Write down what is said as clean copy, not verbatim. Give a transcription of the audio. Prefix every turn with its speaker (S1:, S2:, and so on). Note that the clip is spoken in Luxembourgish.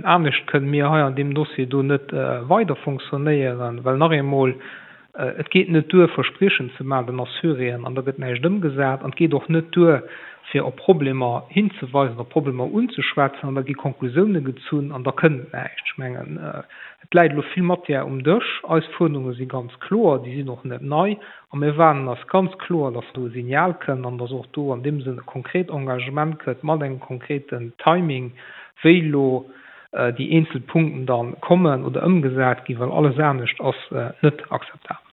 S1: Anescht kënnen mir hei an deem Dossier do net weider fonctionnéieren, well nach eemol, et geet net duer, Verspriechen ze maachen den Assuréen an da gëtt näischt ëmgesat. An et geet och net duer, fir op Problemer hinzeweisen, op Problemer unzeschwätzen an da gi Konklusiounen gezunn an da kënnt näischt. Ech mengen, et läit elo vill Matière um Dësch. Eis Fuerderunge si ganz kloer, déi sinn och net nei. A mir erwaarden eis ganz kloer, dass do e Signal kënnt an dass och do an deem Sënn e konkret Engagement kënnt mat engem konkreten Timing, wéi elo déi eenzel Punkten da kommen oder ëmgesat ginn, well alles anescht ass net akzeptabel.